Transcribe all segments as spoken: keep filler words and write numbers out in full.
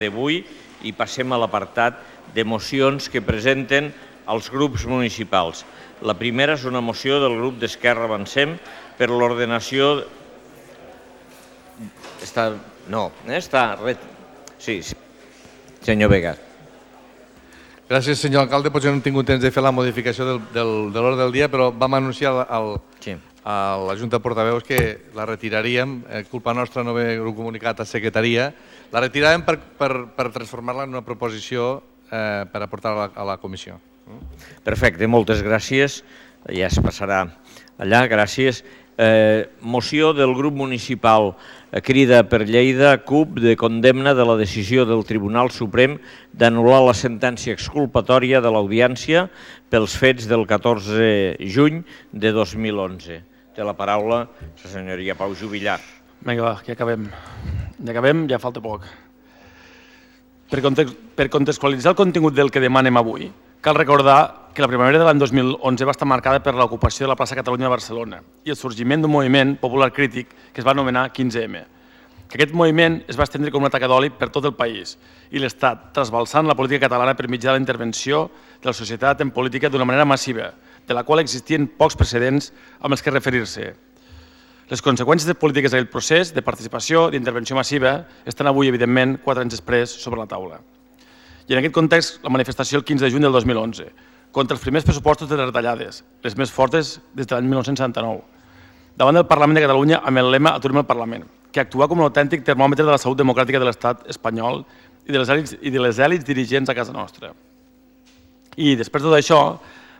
d'avui i passem a l'apartat de mocions que presenten els grups municipals. La primera és una moció del grup d'Esquerra Avancem per l'ordenació... Està... No, està... Sí, sí. Senyor Vega. Gràcies, senyor alcalde. Potser no hem tingut temps de fer la modificació del, del, de l'ordre del dia, però vam anunciar al, sí. a la Junta de Portaveus que la retiraríem. Eh, culpa nostra no haver comunicat a secretaria. La retiràvem per, per, per transformar-la en una proposició eh, per aportar a la, a la comissió. Perfecte, moltes gràcies. Ja es passarà allà, gràcies. Eh, moció del grup municipal Crida per Lleida, C U P, de condemna de la decisió del Tribunal Suprem d'anul·lar la sentència exculpatòria de l'Audiència pels fets del catorze de juny de dos mil onze. Té la paraula la senyoria Pau Jubillar. Vinga, va, ja acabem. Ja acabem, ja falta poc. Per, context, per contextualitzar el contingut del que demanem avui, cal recordar que la primavera de l'any dos mil onze va estar marcada per l'ocupació de la plaça Catalunya de Barcelona i el sorgiment d'un moviment popular crític que es va anomenar quinze eme. Que aquest moviment es va estendre com una taca d'oli per tot el país i l'Estat, trasbalsant la política catalana per mitjà de la intervenció de la societat en política d'una manera massiva, de la qual existien pocs precedents amb els que referir-se. Les conseqüències de polítiques d'aquest procés de participació, d'intervenció massiva, estan avui, evidentment, quatre anys després, sobre la taula. I en aquest context, la manifestació el quinze de juny del dos mil onze, contra els primers pressupostos de les retallades, les més fortes des de l'any mil nou-cents setanta-nou, davant del Parlament de Catalunya amb el lema Aturem el Parlament, que actua com un autèntic termòmetre de la salut democràtica de l'estat espanyol i de les èlits, i de les èlits dirigents a casa nostra. I després de tot això,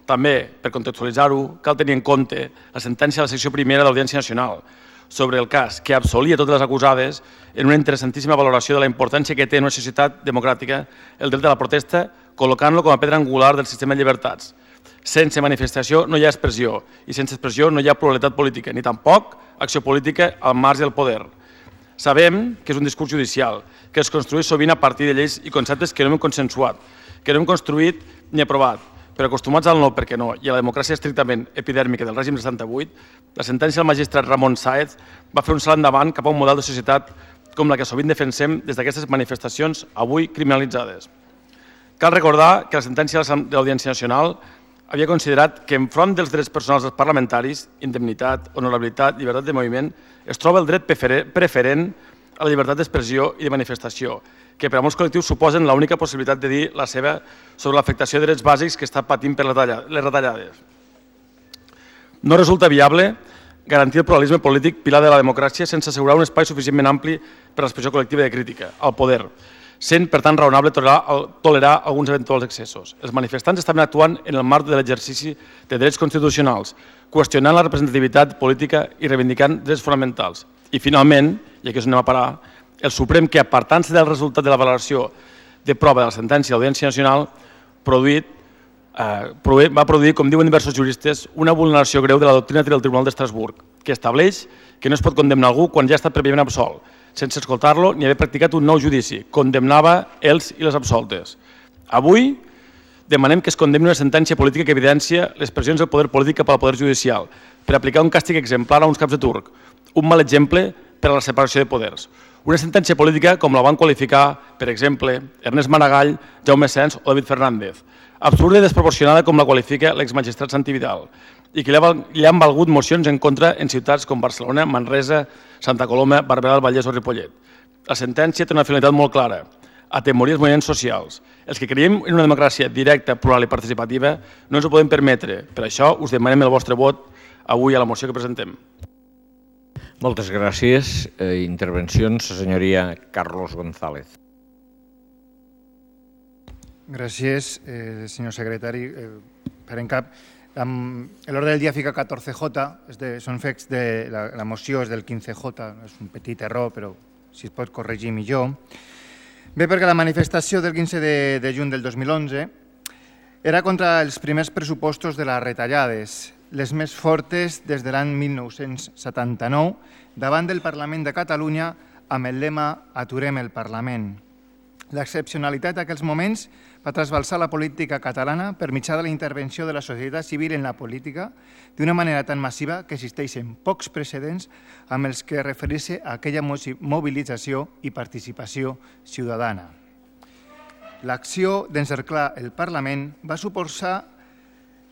també, per contextualitzar-ho, cal tenir en compte la sentència de la secció primera de l'Audiència Nacional sobre el cas que absolia totes les acusades en una interessantíssima valoració de la importància que té en una societat democràtica el dret de la protesta, col·locant-lo com a pedra angular del sistema de llibertats. Sense manifestació no hi ha expressió i sense expressió no hi ha pluralitat política, ni tampoc acció política al marge del poder. Sabem que és un discurs judicial, que es construeix sovint a partir de lleis i conceptes que no hem consensuat, que no hem construït ni aprovat, però acostumats al no perquè no i a la democràcia estrictament epidèrmica del règim del setanta-vuit, la sentència del magistrat Ramon Sáez va fer un salt endavant cap a un model de societat com la que sovint defensem des d'aquestes manifestacions avui criminalitzades. Cal recordar que la sentència de l'Audiència Nacional havia considerat que enfront dels drets personals dels parlamentaris, indemnitat, honorabilitat, llibertat de moviment, es troba el dret preferent a la llibertat d'expressió i de manifestació, que per a molts col·lectius suposen l'única possibilitat de dir la seva sobre l'afectació de drets bàsics que està patint per les retallades. No resulta viable garantir el pluralisme polític pilar de la democràcia sense assegurar un espai suficientment ampli per a l'expressió col·lectiva de crítica, al poder, sent, per tant, raonable tolerar alguns eventuals excessos. Els manifestants estaven actuant en el marc de l'exercici de drets constitucionals, qüestionant la representativitat política i reivindicant drets fonamentals. I, finalment, i aquí és on anem a parar, el Suprem, que apartant-se del resultat de la valoració de prova de la sentència de l'Audiència Nacional, produït, eh, va produir, com diuen diversos juristes, una vulneració greu de la doctrina del Tribunal d'Estrasburg, que estableix que no es pot condemnar algú quan ja ha estat prèviament absolt, sense escoltar-lo ni haver practicat un nou judici. Condemnava els i les absoltes. Avui demanem que es condemni una sentència política que evidencia les pressions del poder polític cap al poder judicial per aplicar un càstig exemplar a uns caps de turc, un mal exemple per a la separació de poders. Una sentència política com la van qualificar, per exemple, Ernest Maragall, Jaume Sens o David Fernández, absurda i desproporcionada com la qualifica l'exmagistrat Santi Vidal, i que li han valgut mocions en contra en ciutats com Barcelona, Manresa, Santa Coloma, Barberà del Vallès o Ripollet. La sentència té una finalitat molt clara, atemorir els moviments socials. Els que creiem en una democràcia directa, plural i participativa no ens ho podem permetre. Per això us demanem el vostre vot avui a la moció que presentem. Moltes gràcies. Eh, intervencions, la senyoria Carlos González. Gràcies, eh, senyor secretari. Eh, per en cap, l'ordre del dia fica catorze jota, de, són fets de la, la moció és del quinze jota, és un petit error, però si es pot corregir millor. Bé, perquè la manifestació del quinze de, de juny del dos mil onze era contra els primers pressupostos de les retallades, les més fortes des de l'any mil nou-cents setanta-nou, davant del Parlament de Catalunya amb el lema Aturem el Parlament. L'excepcionalitat d'aquells moments va trasbalsar la política catalana per mitjà de la intervenció de la societat civil en la política d'una manera tan massiva que existeixen pocs precedents amb els que referir-se a aquella mobilització i participació ciutadana. L'acció d'encerclar el Parlament va suposar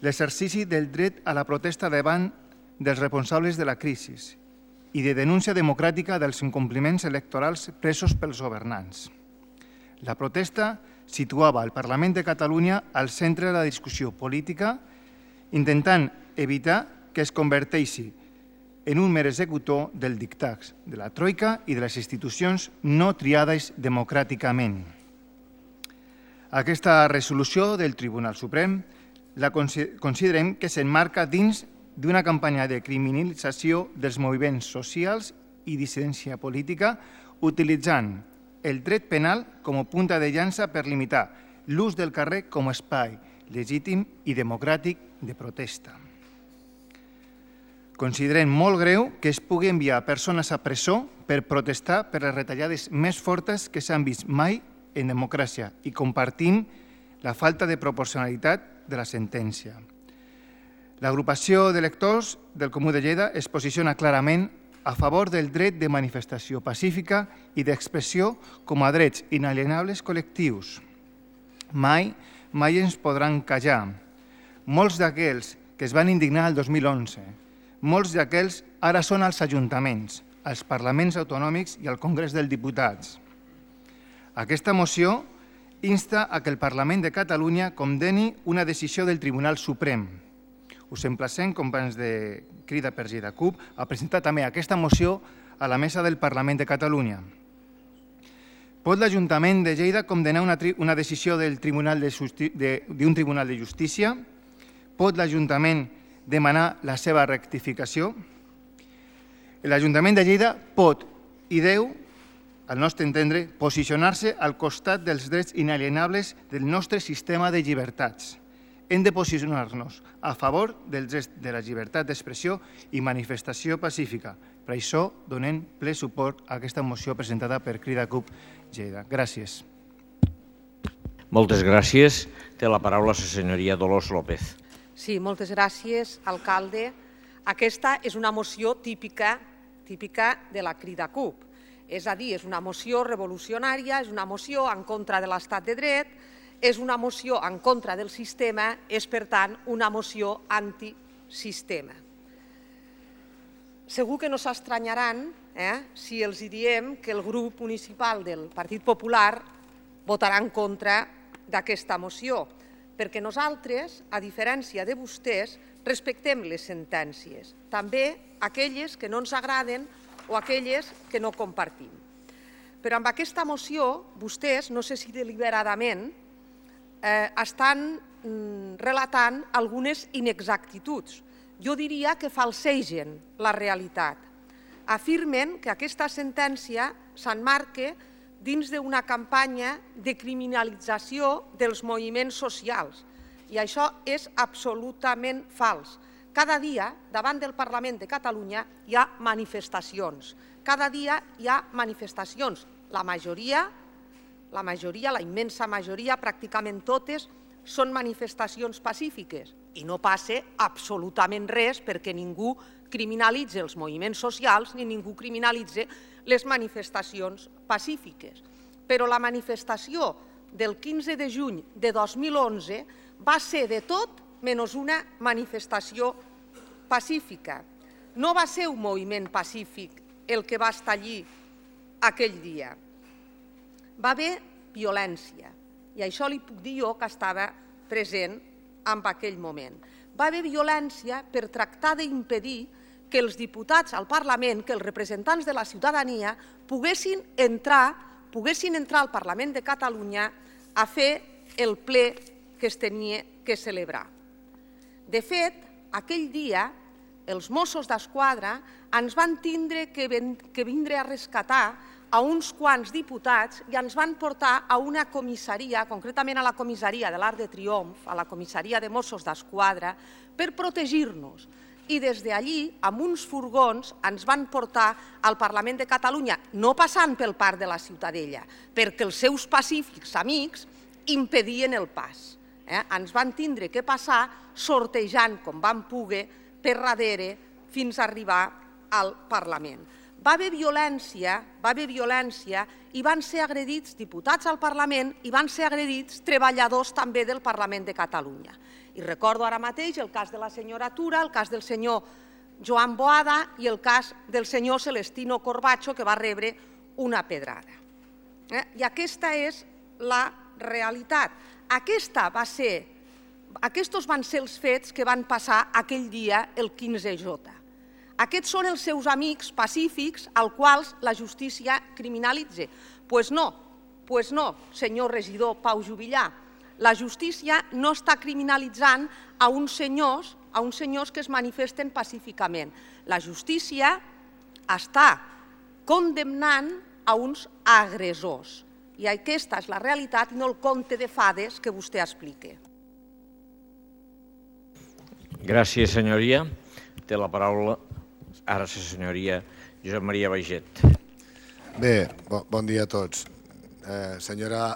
l'exercici del dret a la protesta davant dels responsables de la crisi i de denúncia democràtica dels incompliments electorals presos pels governants. La protesta situava el Parlament de Catalunya al centre de la discussió política, intentant evitar que es converteixi en un mer executor del dictat de la Troika i de les institucions no triades democràticament. Aquesta resolució del Tribunal Suprem la considerem que s'emmarca dins d'una campanya de criminalització dels moviments socials i dissidència política, utilitzant el dret penal com a punta de llança per limitar l'ús del carrer com a espai legítim i democràtic de protesta. Considerem molt greu que es pugui enviar persones a presó per protestar per les retallades més fortes que s'han vist mai en democràcia i compartim la falta de proporcionalitat de la sentència. L'agrupació d'electors del Comú de Lleida es posiciona clarament a favor del dret de manifestació pacífica i d'expressió com a drets inalienables col·lectius. Mai, mai ens podran callar. Molts d'aquells que es van indignar el dos mil onze, molts d'aquells ara són als ajuntaments, als parlaments autonòmics i al Congrés dels Diputats. Aquesta moció insta a que el Parlament de Catalunya condeni una decisió del Tribunal Suprem. Us emplacem, companys de Crida per Lleida CUP, a presentar també aquesta moció a la mesa del Parlament de Catalunya. Pot l'Ajuntament de Lleida condenar una, una decisió del tribunal de, d'un Tribunal de Justícia? Pot l'Ajuntament demanar la seva rectificació? L'Ajuntament de Lleida pot i deu, al nostre entendre, posicionar-se al costat dels drets inalienables del nostre sistema de llibertats. Hem de posicionar-nos a favor dels drets de la llibertat d'expressió i manifestació pacífica. Per això donem ple suport a aquesta moció presentada per Crida CUP Lleida. Gràcies. Moltes gràcies. Té la paraula la senyoria Dolors López. Sí, moltes gràcies, alcalde. Aquesta és una moció típica, típica de la Crida CUP. És a dir, és una moció revolucionària, és una moció en contra de l'estat de dret, és una moció en contra del sistema, és, per tant, una moció antisistema. Segur que no s'estranyaran eh, si els diem que el grup municipal del Partit Popular votarà en contra d'aquesta moció, perquè nosaltres, a diferència de vostès, respectem les sentències, també aquelles que no ens agraden o aquelles que no compartim. Però amb aquesta moció, vostès, no sé si deliberadament, eh, estan mm, relatant algunes inexactituds. Jo diria que falsegen la realitat. Afirmen que aquesta sentència s'emmarca dins d'una campanya de criminalització dels moviments socials. I això és absolutament fals. Cada dia, davant del Parlament de Catalunya, hi ha manifestacions. Cada dia hi ha manifestacions. La majoria, la majoria, la immensa majoria, pràcticament totes, són manifestacions pacífiques. I no passa absolutament res perquè ningú criminalitza els moviments socials ni ningú criminalitza les manifestacions pacífiques. Però la manifestació del quinze de juny de dos mil onze va ser de tot menys una manifestació pacífica. No va ser un moviment pacífic el que va estar allí aquell dia. Va haver violència, i això li puc dir jo que estava present en aquell moment. Va haver violència per tractar d'impedir que els diputats al Parlament, que els representants de la ciutadania, poguessin entrar, poguessin entrar al Parlament de Catalunya a fer el ple que es tenia que celebrar. De fet, aquell dia, els Mossos d'Esquadra ens van tindre que vindre a rescatar a uns quants diputats i ens van portar a una comissaria, concretament a la comissaria de l'Arc de Triomf, a la comissaria de Mossos d'Esquadra, per protegir-nos. I des d'allí, amb uns furgons, ens van portar al Parlament de Catalunya, no passant pel Parc de la Ciutadella, perquè els seus pacífics amics impedien el pas. Ens van tindre que passar sortejant, com vam poder, per darrere fins a arribar al Parlament. va haver violència, va haver violència i van ser agredits diputats al Parlament i van ser agredits treballadors també del Parlament de Catalunya. I recordo ara mateix el cas de la senyora Tura, el cas del senyor Joan Boada i el cas del senyor Celestino Corbacho, que va rebre una pedrada. I aquesta és la realitat. Aquesta va ser, aquests van ser els fets que van passar aquell dia, el quinze J. Aquests són els seus amics pacífics als quals la justícia criminalitza. Doncs no, doncs no, senyor regidor Pau Juvillà. La justícia no està criminalitzant a uns senyors, a uns senyors que es manifesten pacíficament. La justícia està condemnant a uns agressors. I aquesta és la realitat i no el conte de fades que vostè explica. Gràcies, senyoria. Té la paraula ara la senyoria Josep Maria Baiget. Bé, bon dia a tots. Senyora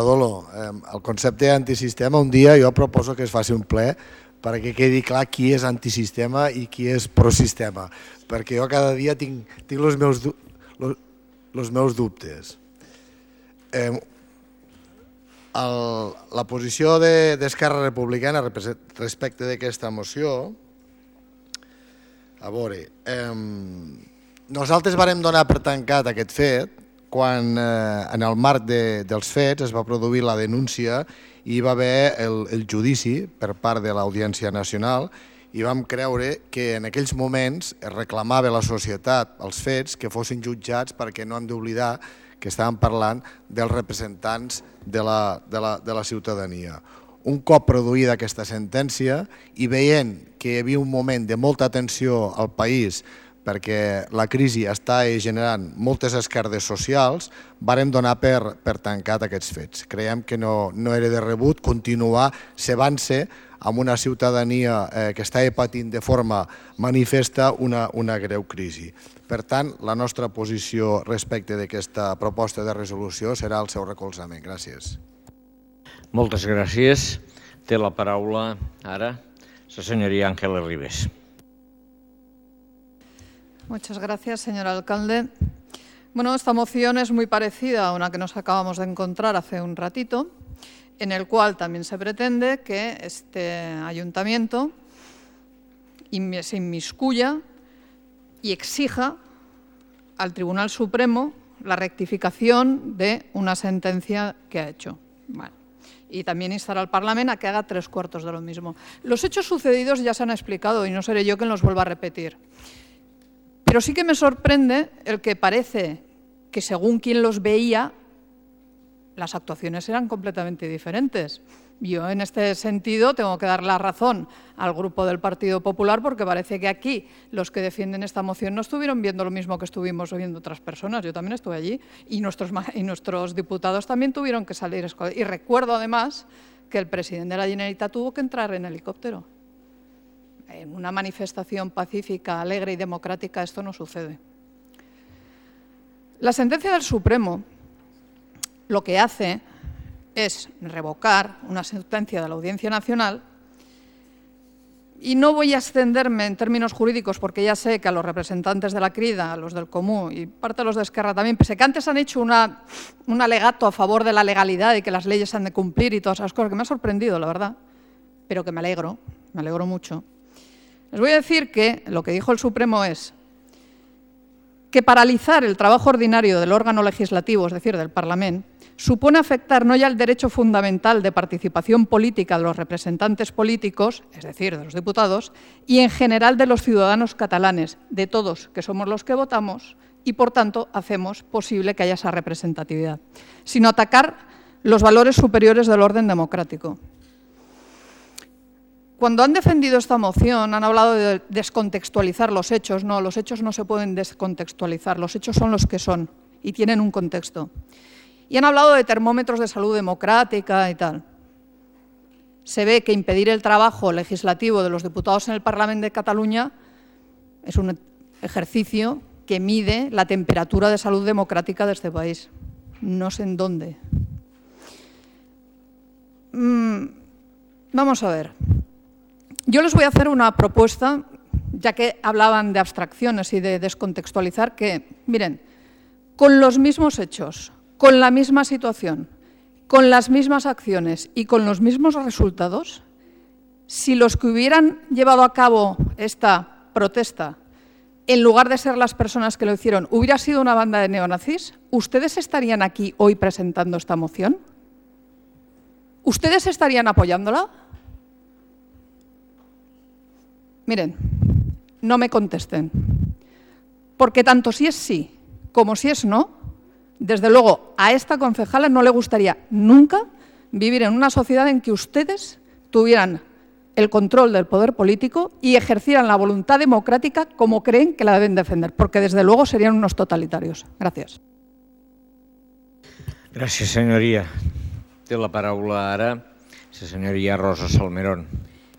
Dolo, el concepte antisistema, un dia jo proposo que es faci un ple perquè quedi clar qui és antisistema i qui és prosistema, perquè jo cada dia tinc els meus dubtes. La posició d'Esquerra Republicana respecte d'aquesta moció, a veure, nosaltres vàrem donar per tancat aquest fet quan en el marc dels fets es va produir la denúncia i hi va haver el judici per part de l'Audiència Nacional i vam creure que en aquells moments es reclamava a la societat els fets que fossin jutjats perquè no hem d'oblidar que estàvem parlant dels representants de la ciutadania. Un cop produïda aquesta sentència i veient que hi havia un moment de molta tensió al país perquè la crisi està generant moltes esquerdes socials, vàrem donar per tancat aquests fets. Creiem que no era de rebut continuar cebant-se amb una ciutadania que està patint de forma manifesta una greu crisi. Per tant, la nostra posició respecte d'aquesta proposta de resolució serà el seu recolzament. Gràcies. Moltes gràcies. Té la paraula ara la señoría Ángeles Ribes. Muchas gracias, señor alcalde. Bueno, esta moción es muy parecida a una que nos acabamos de encontrar hace un ratito, en el cual también se pretende que este ayuntamiento se inmiscuya y exija al Tribunal Supremo la rectificación de una sentencia que ha hecho. Bueno, y también instar al Parlamento a que haga tres cuartos de lo mismo. Los hechos sucedidos ya se han explicado y no seré yo quien los vuelva a repetir. Pero sí que me sorprende el que parece que según quien los veía, las actuaciones eran completamente diferentes. Yo en este sentido tengo que dar la razón al grupo del Partido Popular porque parece que aquí los que defienden esta moción no estuvieron viendo lo mismo que estuvimos viendo otras personas. Yo también estuve allí y nuestros, y nuestros diputados también tuvieron que salir. Y recuerdo además que el presidente de la Generalitat tuvo que entrar en helicóptero. En una manifestación pacífica, alegre y democrática esto no sucede. La sentencia del Supremo lo que hace es revocar una sentencia de la Audiencia Nacional y no voy a extenderme en términos jurídicos porque ya sé que a los representantes de la Crida, a los del Comú y parte de los de Esquerra también, pese que antes han hecho una, un alegato a favor de la legalidad y que las leyes se han de cumplir y todas esas cosas, que me ha sorprendido, la verdad, pero que me alegro, me alegro mucho. Les voy a decir que lo que dijo el Supremo es que paralizar el trabajo ordinario del órgano legislativo, es decir, del Parlamento, supone afectar no ya el derecho fundamental de participación política de los representantes políticos, es decir, de los diputados, y en general de los ciudadanos catalanes, de todos, que somos los que votamos y, por tanto, hacemos posible que haya esa representatividad, sino atacar los valores superiores del orden democrático. Cuando han defendido esta moción han hablado de descontextualizar los hechos. No, los hechos no se pueden descontextualizar, los hechos son los que son y tienen un contexto. Y han hablado de termómetros de salud democrática y tal. Se ve que impedir el trabajo legislativo de los diputados en el Parlamento de Cataluña es un ejercicio que mide la temperatura de salud democrática de este país. No sé en dónde. Mm, vamos a ver. Yo les voy a hacer una propuesta, ya que hablaban de abstracciones y de descontextualizar, que, miren, con los mismos hechos, con la misma situación, con las mismas acciones y con los mismos resultados, si los que hubieran llevado a cabo esta protesta, en lugar de ser las personas que lo hicieron, hubiera sido una banda de neonazis, ¿ustedes estarían aquí hoy presentando esta moción? ¿Ustedes estarían apoyándola? Miren, no me contesten, porque tanto si es sí como si es no, desde luego a esta concejala no le gustaría nunca vivir en una sociedad en que ustedes tuvieran el control del poder político y ejercieran la voluntad democrática como creen que la deben defender, porque desde luego serían unos totalitarios. Gràcies. Gràcies, senyoria. Té la paraula ara la senyoria Rosa Salmerón.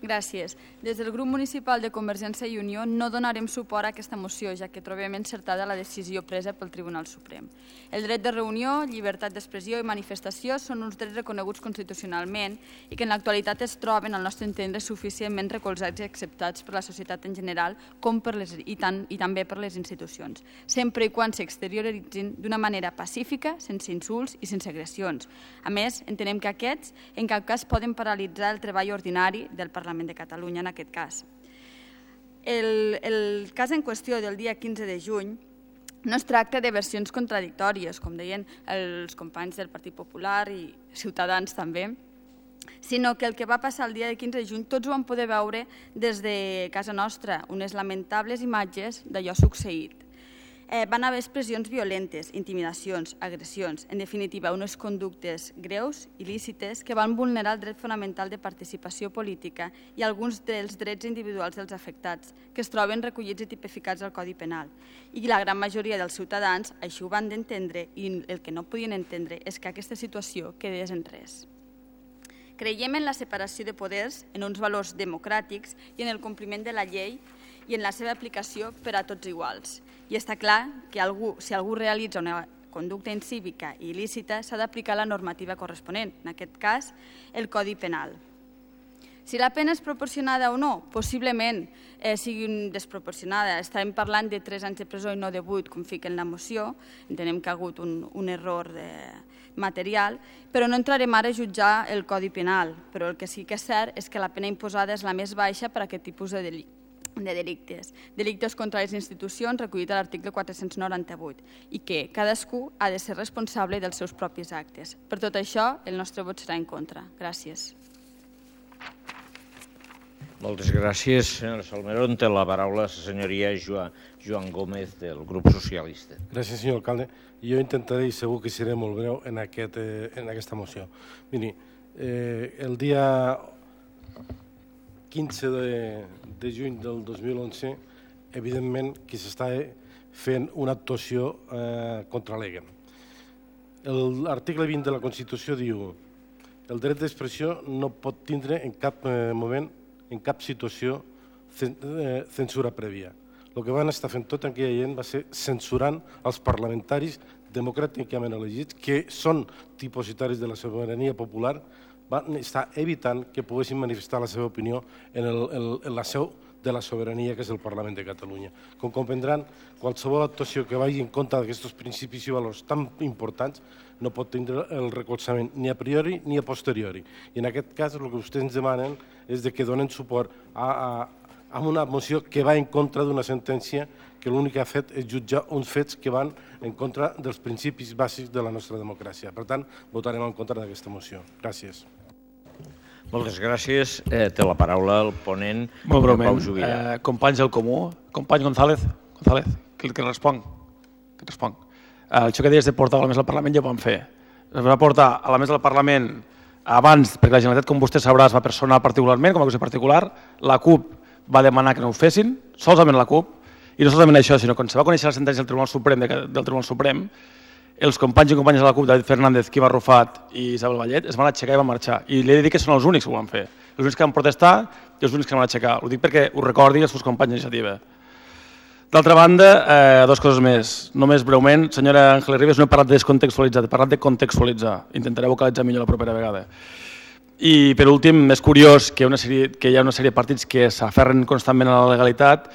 Gràcies. Des del grup municipal de Convergència i Unió no donarem suport a aquesta moció, ja que trobem encertada la decisió presa pel Tribunal Suprem. El dret de reunió, llibertat d'expressió i manifestació són uns drets reconeguts constitucionalment i que en l'actualitat es troben, al nostre entendre, suficientment recolzats i acceptats per la societat en general com per les, i, tant, i també per les institucions, sempre i quan s'exterioritzin d'una manera pacífica, sense insults i sense agressions. A més, entenem que aquests en cap cas poden paralitzar el treball ordinari del Parlament de Catalunya en aquest cas. El, el cas en qüestió del dia quinze de juny no es tracta de versions contradictòries, com deien els companys del Partit Popular i Ciutadans també, sinó que el que va passar el dia de quinze de juny tots ho vam poder veure des de casa nostra, unes lamentables imatges d'allò succeït. Eh, van haver expressions violentes, intimidacions, agressions, en definitiva, unes conductes greus, il·lícites, que van vulnerar el dret fonamental de participació política i alguns dels drets individuals dels afectats, que es troben recollits i tipificats al Codi Penal. I la gran majoria dels ciutadans així ho van d'entendre i el que no podien entendre és que aquesta situació quedés en res. Creiem en la separació de poders, en uns valors democràtics i en el compliment de la llei i en la seva aplicació per a tots iguals. I està clar que algú, si algú realitza una conducta incívica i il·lícita, s'ha d'aplicar la normativa corresponent, en aquest cas, el Codi Penal. Si la pena és proporcionada o no, possiblement eh, sigui desproporcionada. Estarem parlant de tres anys de presó i no de vuit, com fica en la moció. Entenem que ha hagut un, un error de material, però no entrarem ara a jutjar el Codi Penal. Però el que sí que és cert és que la pena imposada és la més baixa per a aquest tipus de delicte. de delictes, delictes contra les institucions recollit a l'article quatre-cents noranta-vuit i que cadascú ha de ser responsable dels seus propis actes. Per tot això, el nostre vot serà en contra. Gràcies. Moltes gràcies, senyora Salmerón. Té la paraula la senyoria Joan Gómez, del grup socialista. Gràcies, senyor alcalde. Jo intentaré, i segur que seré molt breu, en, aquest, eh, en aquesta moció. Miri, eh, el dia quinze de, de juny del dos mil onze, evidentment que s'està fent una actuació eh, contra l'E G E M. L'article vint de la Constitució diu el dret d'expressió no pot tindre en cap eh, moment, en cap situació, eh, censura prèvia. El que van estar fent tota aquella gent va ser censurant els parlamentaris democràticament elegits, que són dipositaris de la sobirania popular, van estar evitant que poguessin manifestar la seva opinió en, el, en, en la seu de la sobirania, que és el Parlament de Catalunya. Com comprendran, qualsevol actuació que vagi en contra d'aquests principis i valors tan importants no pot tindre el recolzament ni a priori ni a posteriori. I en aquest cas el que vostès ens demanen és que donen suport a, a, a una moció que va en contra d'una sentència que l'únic que ha fet és jutjar uns fets que van en contra dels principis bàsics de la nostra democràcia. Per tant, votarem en contra d'aquesta moció. Gràcies. Moltes gràcies. Eh, té la paraula el ponent, Molt breument. Pau Jubirà. Eh, companys del Comú, company González, González que, que responc. Que responc. Eh, això que deies de portar a la mesa del Parlament ja ho vam fer. Es va portar a la mesa del Parlament abans, perquè la Generalitat, com vostè sabrà, es va personar particularment, com a cosa particular. La CUP va demanar que no ho fessin, solament la CUP, i no solament això, sinó quan se va conèixer la sentència del Tribunal Suprem, del Tribunal Suprem, els companys i companyes de la CUP, David Fernández, Quim Arrufat i Isabel Vallet, es van aixecar i van marxar. I li he de dir que són els únics que ho van fer. Els únics que van protestar i els únics que van aixecar. Ho dic perquè ho recordi els seus companys d'iniciativa. D'altra banda, eh, dues coses més. Només breument, senyora Ángeles Ribes, no he parlat de descontextualitzar, he parlat de contextualitzar. Intentaré vocalitzar millor la propera vegada. I, per últim, és curiós que, una sèrie, que hi ha una sèrie de partits que s'aferren constantment a la legalitat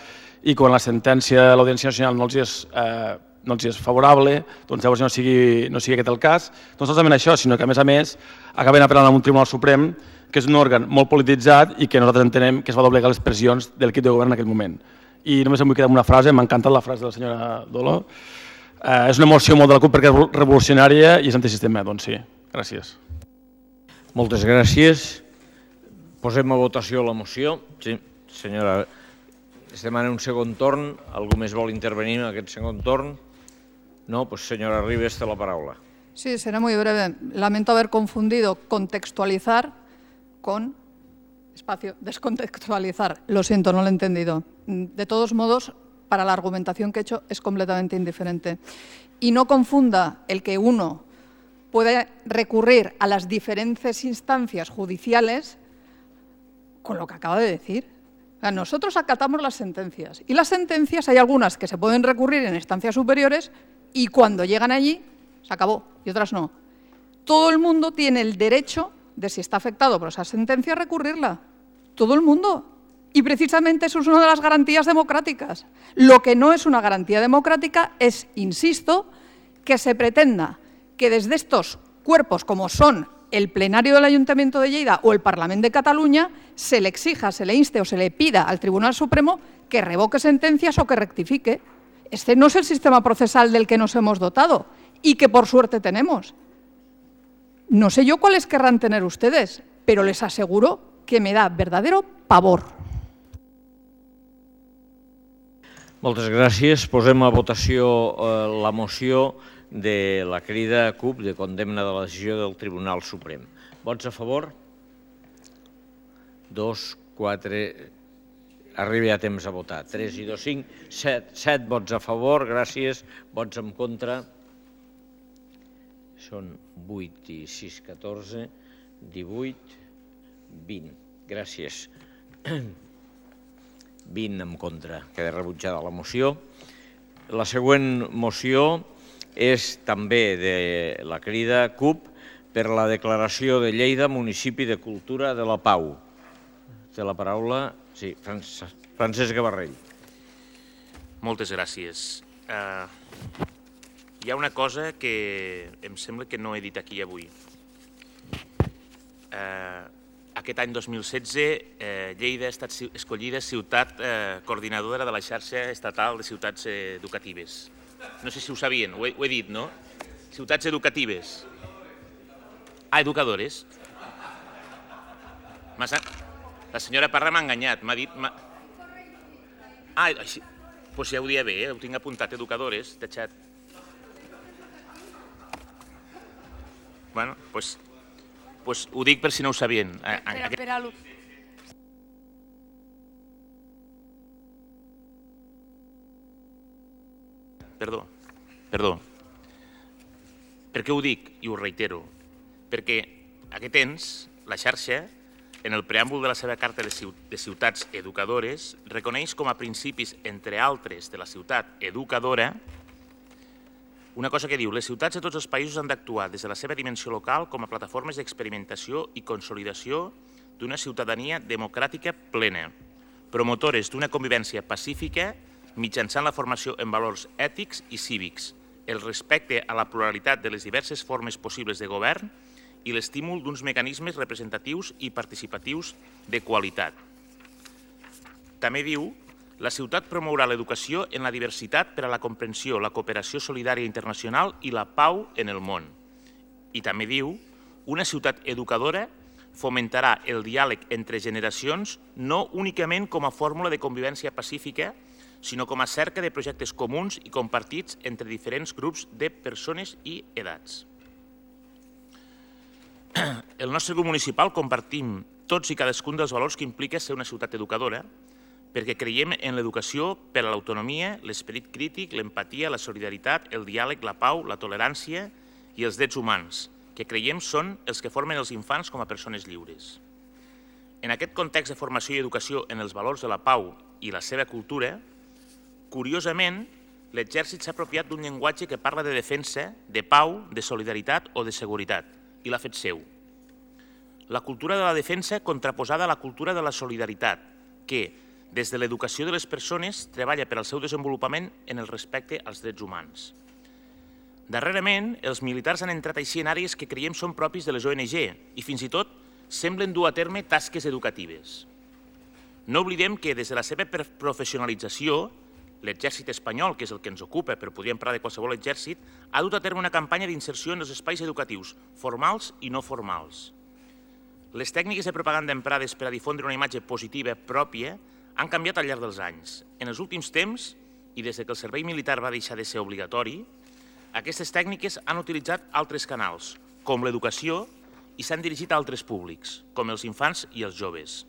i quan la sentència de l'Audiència Nacional no els és, eh, no els és favorable, doncs llavors no sigui, no sigui aquest el cas. No solament això, sinó que, a més a més, acaben apel·lant a un Tribunal Suprem que és un òrgan molt polititzat i que nosaltres entenem que es va doblegar les pressions de l'equip de govern en aquell moment. I només em vull quedar amb una frase, m'ha encantat la frase de la senyora Dolo. Eh, és una moció molt de la CUP perquè és revolucionària i és antisistema, doncs sí. Gràcies. Moltes gràcies. Posem a votació la moció. Sí, senyora, es demana un segon torn. Algú més vol intervenir en aquest segon torn? No, pues señora Ribes, té la paraula. Sí, será muy breve. Lamento haber confundido contextualizar con espacio, descontextualizar. Lo siento, no lo he entendido. De todos modos, para la argumentación que he hecho es completamente indiferente. Y no confunda el que uno puede recurrir a las diferentes instancias judiciales con lo que acaba de decir. O sea, nosotros acatamos las sentencias y las sentencias hay algunas que se pueden recurrir en instancias superiores y cuando llegan allí se acabó y otras no. Todo el mundo tiene el derecho de, si está afectado por esa sentencia, recurrirla. Todo el mundo. Y precisamente eso es una de las garantías democráticas. Lo que no es una garantía democrática es, insisto, que se pretenda que desde estos cuerpos como son el plenario del Ayuntamiento de Lleida o el Parlamento de Cataluña se le exija, se le inste o se le pida al Tribunal Supremo que revoque sentencias o que rectifique. Este no es el sistema procesal del que nos hemos dotado y que por suerte tenemos. No sé yo cuáles querrán tener ustedes, pero les aseguro que me da verdadero pavor. Moltes gràcies. Posem a votació eh, la moció de la crida CUP de condemna de la decisió del Tribunal Suprem. Vots a favor? Dos, quatre... Arriba a temps a votar. Tres i dos, cinc, set. Set vots a favor, gràcies. Vots en contra? Són vuit i sis, catorze, divuit, vint. Gràcies. vint en contra. Queda rebutjada la moció. La següent moció és també de la crida CUP per la declaració de Lleida Municipi de Cultura de la Pau. Té la paraula, sí, Francesc Gavarrell. Moltes gràcies. Uh, hi ha una cosa que em sembla que no he dit aquí avui. Uh, aquest any dos mil setze, uh, Lleida ha estat escollida ciutat uh, coordinadora de la xarxa estatal de ciutats educatives. No sé si ho sabien, ho he, ho he dit, no? Ciutats educatives. Ah, educadores. La senyora Parra m'ha enganyat, m'ha dit... Ah, així... Doncs ja ho dia bé, eh? Ho tinc apuntat, educadores, de xat. Bueno, doncs... Doncs ho dic per si no ho sabien. Per a l'últim. Perdó, perdó. Per què ho dic? I ho reitero. Perquè aquest ens, la xarxa, en el preàmbul de la seva carta de ciutats educadores, reconeix com a principis, entre altres, de la ciutat educadora, una cosa que diu: les ciutats de tots els països han d'actuar des de la seva dimensió local com a plataformes d'experimentació i consolidació d'una ciutadania democràtica plena, promotores d'una convivència pacífica mitjançant la formació en valors ètics i cívics, el respecte a la pluralitat de les diverses formes possibles de govern i l'estímul d'uns mecanismes representatius i participatius de qualitat. També diu: la ciutat promourà l'educació en la diversitat per a la comprensió, la cooperació solidària internacional i la pau en el món. I també diu: una ciutat educadora fomentarà el diàleg entre generacions no únicament com a fórmula de convivència pacífica, sinó com a cerca de projectes comuns i compartits entre diferents grups de persones i edats. El nostre grup municipal compartim tots i cadascun dels valors que implica ser una ciutat educadora, perquè creiem en l'educació per a l'autonomia, l'esperit crític, l'empatia, la solidaritat, el diàleg, la pau, la tolerància i els drets humans, que creiem són els que formen els infants com a persones lliures. En aquest context de formació i educació en els valors de la pau i la seva cultura, curiosament, l'exèrcit s'ha apropiat d'un llenguatge que parla de defensa, de pau, de solidaritat o de seguretat, i l'ha fet seu. La cultura de la defensa contraposada a la cultura de la solidaritat, que, des de l'educació de les persones, treballa per al seu desenvolupament en el respecte als drets humans. Darrerament, els militars han entrat així en àrees que creiem són propis de les O N G i fins i tot semblen dur a terme tasques educatives. No oblidem que des de la seva professionalització, l'exèrcit espanyol, que és el que ens ocupa, però podríem parlar de qualsevol exèrcit, ha dut a terme una campanya d'inserció en els espais educatius, formals i no formals. Les tècniques de propaganda emprades per a difondre una imatge positiva pròpia han canviat al llarg dels anys. En els últims temps, i des que el servei militar va deixar de ser obligatori, aquestes tècniques han utilitzat altres canals, com l'educació, i s'han dirigit a altres públics, com els infants i els joves.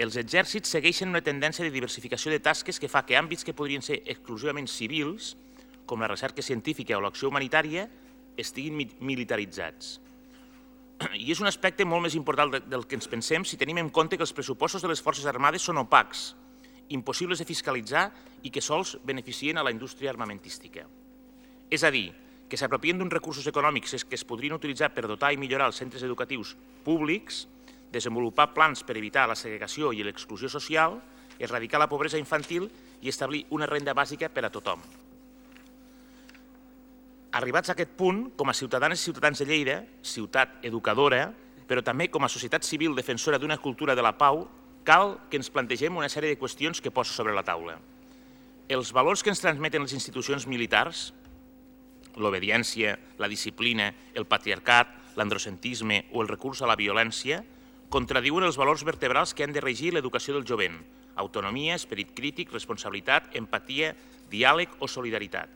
Els exèrcits segueixen una tendència de diversificació de tasques que fa que àmbits que podrien ser exclusivament civils, com la recerca científica o l'acció humanitària, estiguin militaritzats. I és un aspecte molt més important del que ens pensem si tenim en compte que els pressupostos de les Forces Armades són opacs, impossibles de fiscalitzar i que sols beneficien a la indústria armamentística. És a dir, que s'apropien d'uns recursos econòmics que es podrien utilitzar per dotar i millorar els centres educatius públics, desenvolupar plans per evitar la segregació i l'exclusió social, erradicar la pobresa infantil i establir una renda bàsica per a tothom. Arribats a aquest punt, com a ciutadanes i ciutadans de Lleida, ciutat educadora, però també com a societat civil defensora d'una cultura de la pau, cal que ens plantegem una sèrie de qüestions que poso sobre la taula. Els valors que ens transmeten les institucions militars, l'obediència, la disciplina, el patriarcat, l'androcentrisme o el recurs a la violència, contradiuen els valors vertebrals que han de regir l'educació del jovent: autonomia, esperit crític, responsabilitat, empatia, diàleg o solidaritat.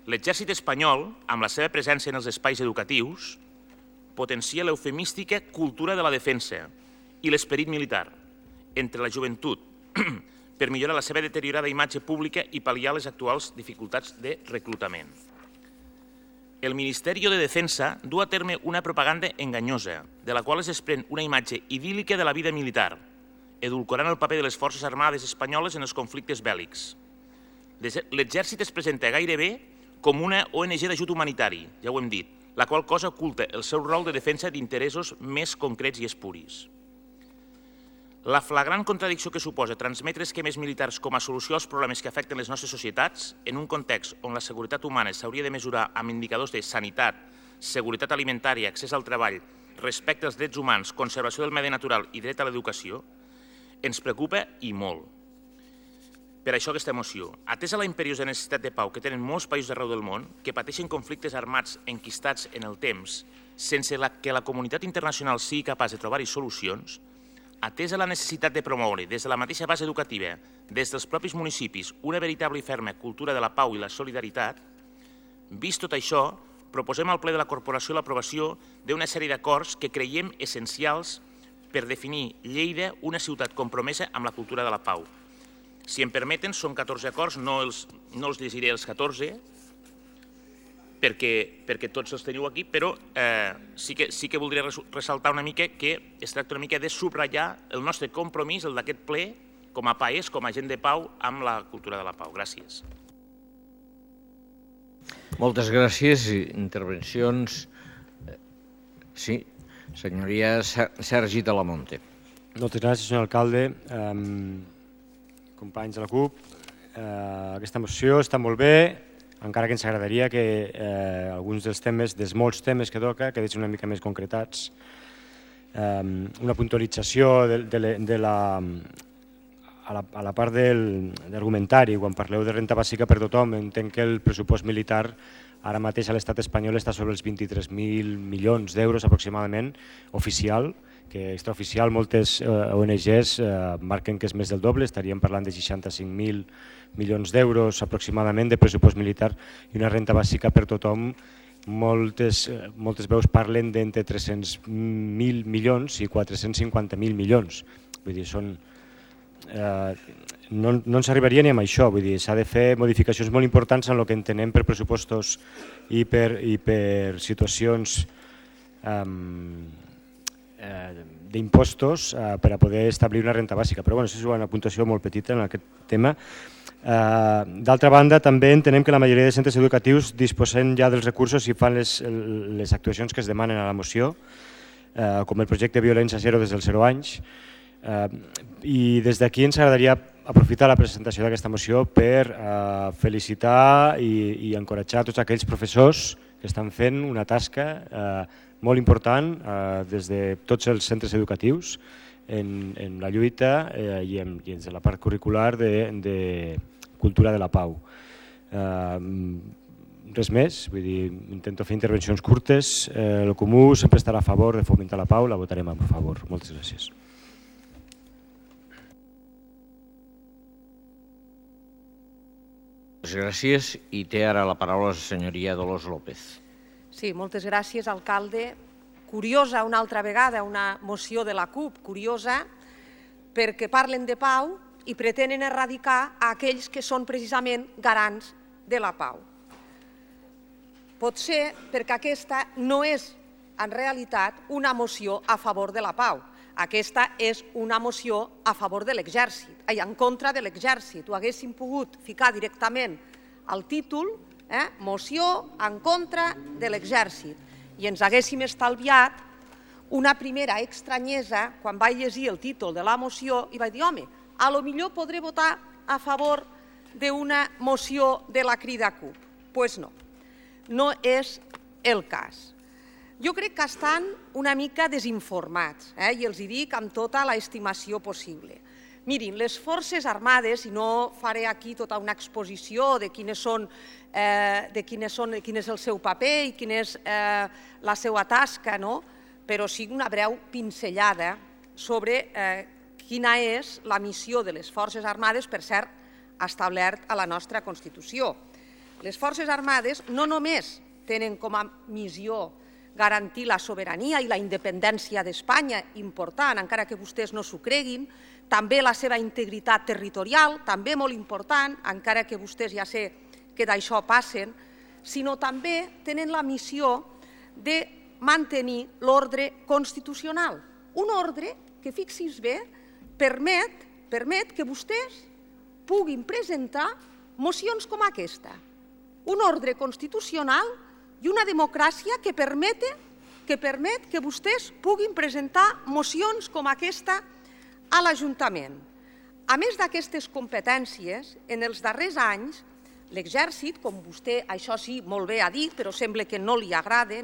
L'exèrcit espanyol, amb la seva presència en els espais educatius, potencia l'eufemística cultura de la defensa i l'esperit militar entre la joventut per millorar la seva deteriorada imatge pública i pal·liar les actuals dificultats de reclutament. El Ministeri de Defensa du a terme una propaganda enganyosa, de la qual es desprèn una imatge idíl·lica de la vida militar, edulcorant el paper de les Forces Armades espanyoles en els conflictes bèl·lics. L'exèrcit es presenta gairebé com una O N G d'ajut humanitari, ja ho hem dit, la qual cosa oculta el seu rol de defensa d'interessos més concrets i espuris. La flagrant contradicció que suposa transmetre esquemes militars com a solució als problemes que afecten les nostres societats, en un context on la seguretat humana s'hauria de mesurar amb indicadors de sanitat, seguretat alimentària, accés al treball, respecte als drets humans, conservació del medi natural i dret a l'educació, ens preocupa i molt. Per això aquesta moció, atesa la imperiosa necessitat de pau que tenen molts països arreu del món, que pateixen conflictes armats enquistats en el temps, sense que la comunitat internacional sigui capaç de trobar-hi solucions, atesa la necessitat de promoure des de la mateixa base educativa, des dels propis municipis, una veritable i ferma cultura de la pau i la solidaritat, vist tot això, proposem al ple de la Corporació l'aprovació d'una sèrie d'acords que creiem essencials per definir Lleida una ciutat compromesa amb la cultura de la pau. Si em permeten, són catorze acords, no els, no els llegiré els catorze, perquè, perquè tots els teniu aquí, però eh, sí, que, sí que voldria ressaltar una mica que es tracta una mica de subratllar el nostre compromís, el d'aquest ple, com a país, com a gent de pau, amb la cultura de la pau. Gràcies. Moltes gràcies. Intervencions. Sí, senyoria Sergi Talamonte. Moltes gràcies, senyor alcalde. Um... Companys de la CUP, eh, aquesta moció està molt bé, encara que ens agradaria que eh, alguns dels temes, dels molts temes que toca, quedessin una mica més concretats. Eh, una puntualització de, de, de la, a, la, a la part del, d'argumentari, quan parleu de renta bàsica per tothom, entenc que el pressupost militar ara mateix a l'estat espanyol està sobre els vint-i-tres mil milions d'euros aproximadament, oficial, que extraoficial moltes O N Ges marquen que és més del doble, estaríem parlant de seixanta-cinc mil milions d'euros aproximadament de pressupost militar i una renta bàsica per tothom. Moltes, moltes veus parlen d'entre tres-cents mil milions i quatre-cents cinquanta mil milions. Vull dir, són, eh, no, no ens arribaria ni amb això, vull dir, s'ha de fer modificacions molt importants en el que entenem per pressupostos i per, i per situacions eh, d'impostos per a poder establir una renta bàsica. Però bueno, això és una puntuació molt petita en aquest tema. D'altra banda, també entenem que la majoria de centres educatius disposen ja dels recursos i fan les, les actuacions que es demanen a la moció. com el projecte Violència Zero des dels zero anys. I des d'aquí ens agradaria aprofitar la presentació d'aquesta moció per felicitar i encoratjar tots aquells professors que estan fent una tasca molt important des de tots els centres educatius en la lluita i en la part curricular de cultura de la pau. Res més, vull dir, intento fer intervencions curtes. El Comú sempre estarà a favor de fomentar la pau, la votarem a favor. Moltes gràcies. Moltes gràcies i té ara la paraula la senyoria Dolors López. Sí, moltes gràcies, alcalde. Curiosa una altra vegada una moció de la CUP, curiosa perquè parlen de pau i pretenen erradicar aquells que són precisament garants de la pau. Pot ser perquè aquesta no és en realitat una moció a favor de la pau. Aquesta és una moció a favor de l'exèrcit, ai, en contra de l'exèrcit. Ho haguéssim pogut ficar directament al títol, moció en contra de l'exèrcit, i ens haguéssim estalviat una primera estranyesa quan vaig llegir el títol de la moció i vaig dir, home, a lo millor podré votar a favor d'una moció de la Crida CUP. Doncs no, no és el cas. Jo crec que estan una mica desinformats i els hi dic amb tota l'estimació possible. Mirin, les Forces Armades, i no faré aquí tota una exposició de quin és el seu paper i quina és la seva tasca, però sí una breu pinzellada sobre quina és la missió de les Forces Armades, per cert, establert a la nostra Constitució. Les Forces Armades no només tenen com a missió garantir la sobirania i la independència d'Espanya, important, encara que vostès no s'ho creguin, també la seva integritat territorial, també molt important, encara que vostès ja sé que d'això passen, sinó també tenen la missió de mantenir l'ordre constitucional. Un ordre que, fixi's bé, permet que vostès puguin presentar mocions com aquesta. Un ordre constitucional i una democràcia que permet que vostès puguin presentar mocions com aquesta a l'Ajuntament. A més d'aquestes competències, en els darrers anys, l'exèrcit, com vostè, això sí, molt bé ha dit, però sembla que no li agrada,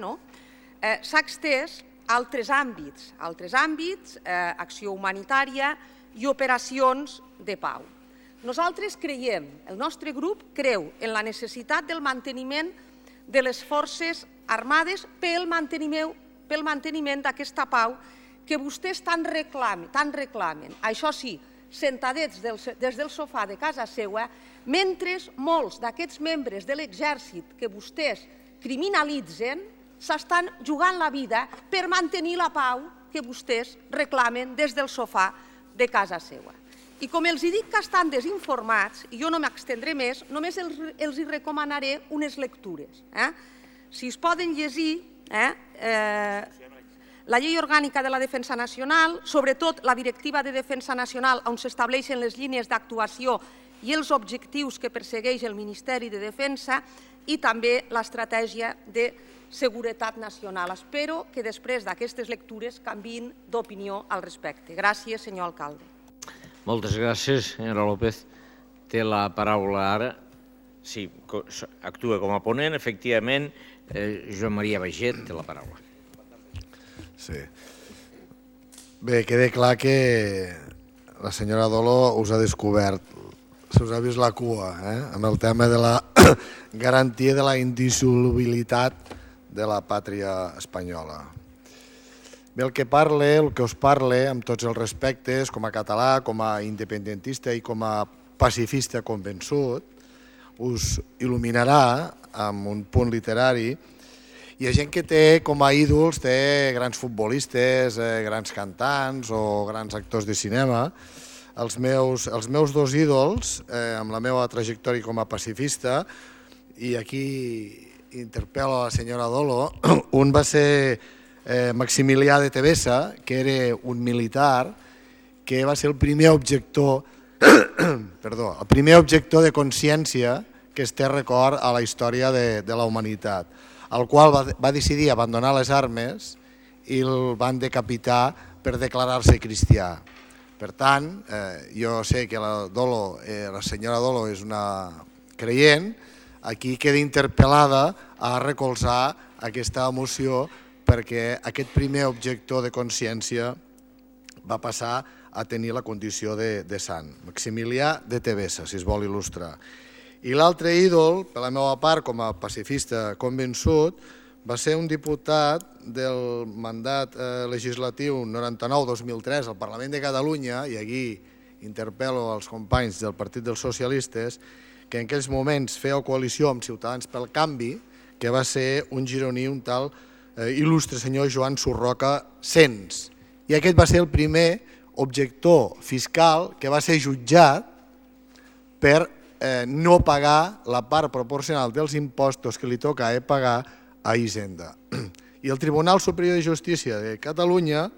s'ha estès a altres àmbits, altres àmbits, acció humanitària i operacions de pau. Nosaltres creiem, el nostre grup creu en la necessitat del manteniment de les Forces Armades pel manteniment d'aquesta pau que vostès tant reclamen, això sí, sentadets des del sofà de casa seva, mentre molts d'aquests membres de l'exèrcit que vostès criminalitzen s'estan jugant la vida per mantenir la pau que vostès reclamen des del sofà de casa seva. I com els dic que estan desinformats, i jo no m'extendré més, només els recomanaré unes lectures. Si es poden llegir la Llei Orgànica de la Defensa Nacional, sobretot la Directiva de Defensa Nacional, on s'estableixen les línies d'actuació i els objectius que persegueix el Ministeri de Defensa, i també l'Estratègia de Seguretat Nacional. Espero que després d'aquestes lectures canviïn d'opinió al respecte. Gràcies, senyor alcalde. Moltes gràcies, senyora López. Té la paraula ara. Sí, actua com a ponent, efectivament. Joan Maria Baiget té la paraula. Sí. Bé, queda clar que la senyora Dolo us ha descobert, se us ha vist la cua, amb el tema de la garantia de la indissolubilitat de la pàtria espanyola. Bé, el que parle, el que us parle, amb tots els respectes, com a català, com a independentista i com a pacifista convençut, us il·luminarà amb un punt literari. Hi ha gent que té com a ídols, té grans futbolistes, grans cantants o grans actors de cinema. Els meus, els meus dos ídols, amb la meva trajectòria com a pacifista, i aquí interpel·lo a la senyora Dolo, un va ser Maximilià de Tevesa, que era un militar, que va ser el primer objector, perdó, el primer objector de consciència que es té record a la història de la humanitat, el qual va decidir abandonar les armes i el van decapitar per declarar-se cristià. Per tant, eh, jo sé que la, Dolo, eh, la senyora Dolo és una creient, aquí queda interpel·lada a recolzar aquesta moció perquè aquest primer objector de consciència va passar a tenir la condició de, de sant. Maximilià de Tevesa, si es vol il·lustrar. I l'altre ídol, per la meva part, com a pacifista convençut, va ser un diputat del mandat eh, legislatiu noranta-nou dos mil tres al Parlament de Catalunya, i aquí interpel·lo als companys del Partit dels Socialistes, que en aquells moments feia coalició amb Ciutadans pel Canvi, que va ser un gironí, un tal eh, il·lustre senyor Joan Surroca Sens. I aquest va ser el primer objector fiscal que va ser jutjat per eh, no pagar la part proporcional dels impostos que li toca eh, pagar a Hisenda. I el Tribunal Superior de Justícia de Catalunya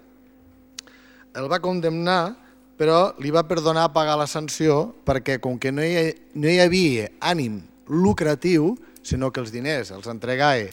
el va condemnar, però li va perdonar pagar la sanció perquè, com que no hi, no hi havia ànim lucratiu, sinó que els diners els entregava